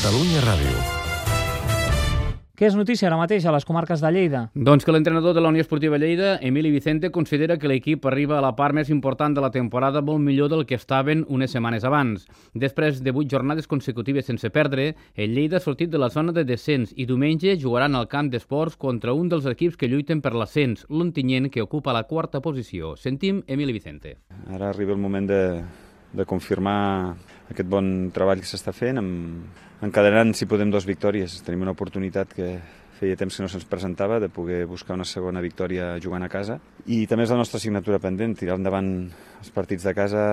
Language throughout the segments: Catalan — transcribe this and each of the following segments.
Catalunya Ràdio. Què és notícia ara mateix a les comarques de Lleida? Doncs que l'entrenador de la Unió Esportiva Lleida, Emili Vicente, considera que l'equip arriba a la part més important de la temporada molt millor del que estaven unes setmanes abans. Després de 8 jornades consecutives sense perdre, el Lleida ha sortit de la zona de descens i diumenge jugaran al camp d'esports contra un dels equips que lluiten per l'ascens, l'Ontinyent, que ocupa la quarta posició. Sentim Emili Vicente. Ara arriba el moment de confirmar aquest bon treball que s'està fent, encadenant, si podem, 2 victòries. Tenim una oportunitat que feia temps que no se'ns presentava, de poder buscar una segona victòria jugant a casa. I també és la nostra assignatura pendent, tirar endavant els partits de casa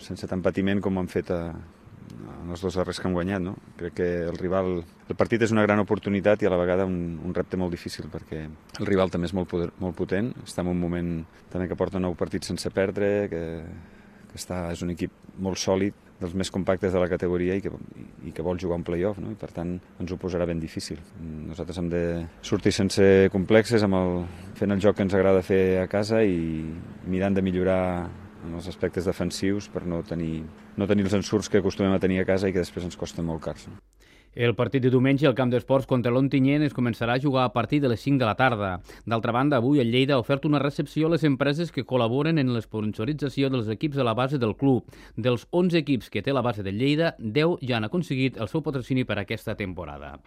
sense tant patiment com ho han fet en els 2 darrers que han guanyat. No? Crec que el partit és una gran oportunitat i a la vegada un repte molt difícil, perquè el rival també és molt potent, està en un moment també que porta 9 partits sense perdre, que és un equip molt sòlid, dels més compactes de la categoria i que vol jugar un play-off, no? I per tant ens ho posarà ben difícil. Nosaltres hem de sortir sense complexes, fent el joc que ens agrada fer a casa i mirant de millorar en els aspectes defensius per no tenir els ensurts que acostumem a tenir a casa i que després ens costen molt cars. No? El partit de diumenge al camp d'esports contra l'Ontinyent es començarà a jugar a partir de les 5 de la tarda. D'altra banda, avui el Lleida ha ofert una recepció a les empreses que col·laboren en l'esponsorització dels equips de la base del club. Dels 11 equips que té la base del Lleida, 10 ja han aconseguit el seu patrocini per a aquesta temporada.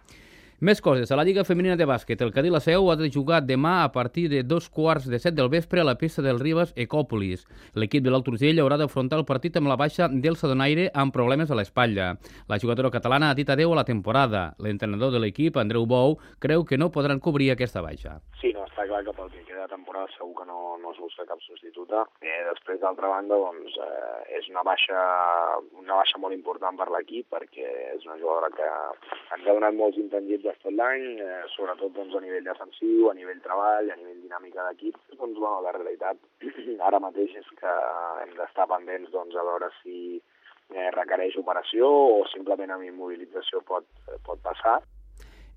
Més coses. A la Lliga Femenina de Bàsquet, el Cadí La Seu ha de jugar demà a partir de 2:15 del vespre a la pista del Ribes Ecòpolis. L'equip de l'Alt Urgell haurà d'afrontar el partit amb la baixa d'Elsa Donaire amb problemes a l'espatlla. La jugadora catalana ha dit adeu a la temporada. L'entrenador de l'equip, Andreu Bou, creu que no podran cobrir aquesta baixa. Sí, no, està clar que pel que queda de temporada segur que no es busca cap substituta. Després, d'altra banda, doncs, és una baixa molt important per l'equip, perquè és una jugadora que ens ha donat molts intangibles tot l'any, sobretot doncs, a nivell defensiu, a nivell treball, a nivell dinàmica d'equip. Doncs, bueno, la realitat ara mateix és que hem d'estar pendents doncs, a veure si requereix operació o simplement amb immobilització pot passar.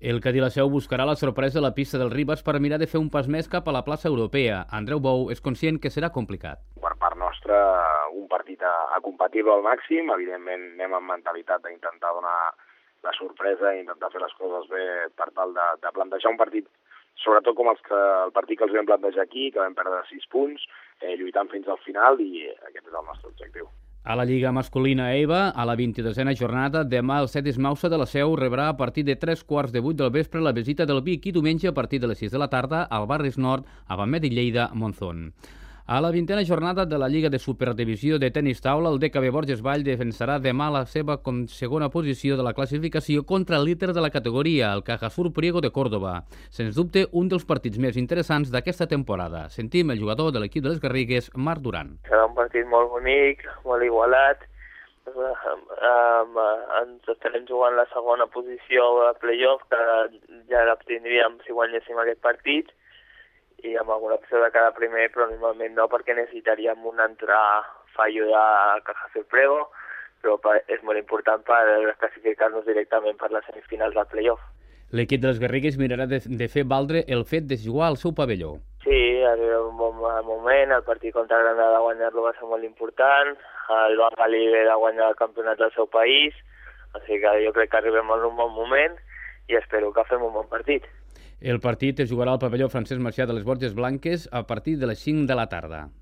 El Cadí La Seu buscarà la sorpresa a la pista del Ribes per mirar de fer un pas més cap a la plaça europea. Andreu Bou és conscient que serà complicat. Per part nostra, un partit a competir-lo al màxim. Evidentment, anem amb mentalitat d'intentar donar la sorpresa i intentar fer les coses bé per tal de plantejar un partit, sobretot com el partit que els vam plantejar aquí, que vam perdre 6 punts, lluitant fins al final, i aquest és el nostre objectiu. A la Lliga masculina EVA, a la 22a jornada, demà el Cetis Mausa de La Seu rebrà a partir de 7:15 del vespre la visita del Vic i diumenge a partir de les 6 de la tarda al Barris Nord, a Bamet i Lleida, Monzón. A la 20a jornada de la Lliga de Superdivisió de Tenis Taula, el DKB Borges Vall defensarà demà la seva segona posició de la classificació contra el líder de la categoria, el Cajasur Priego de Córdoba. Sens dubte, un dels partits més interessants d'aquesta temporada. Sentim el jugador de l'equip de les Garrigues, Marc Duran. Serà un partit molt bonic, molt igualat. Ens estarem jugant la segona posició a playoff, que ja l'obtindríem si guanyéssim aquest partit, i amb alguna opció de cada primer, però normalment no, perquè necessitaríem un altre fallo de Cajasur Priego, però és molt important per classificar-nos directament per les semifinals del playoff. L'equip de les Garrigues mirarà de fer valdre el fet de jugar al seu pavelló. Sí, arriba un bon moment, el partit contra Granada guanyar-lo va ser molt important, el Bengalí ve de guanyar el campionat del seu país, així que jo crec que arribem en un bon moment i espero que fem un bon partit. El partit es jugarà al pavelló Francesc Macià de les Borges Blanques a partir de les 5 de la tarda.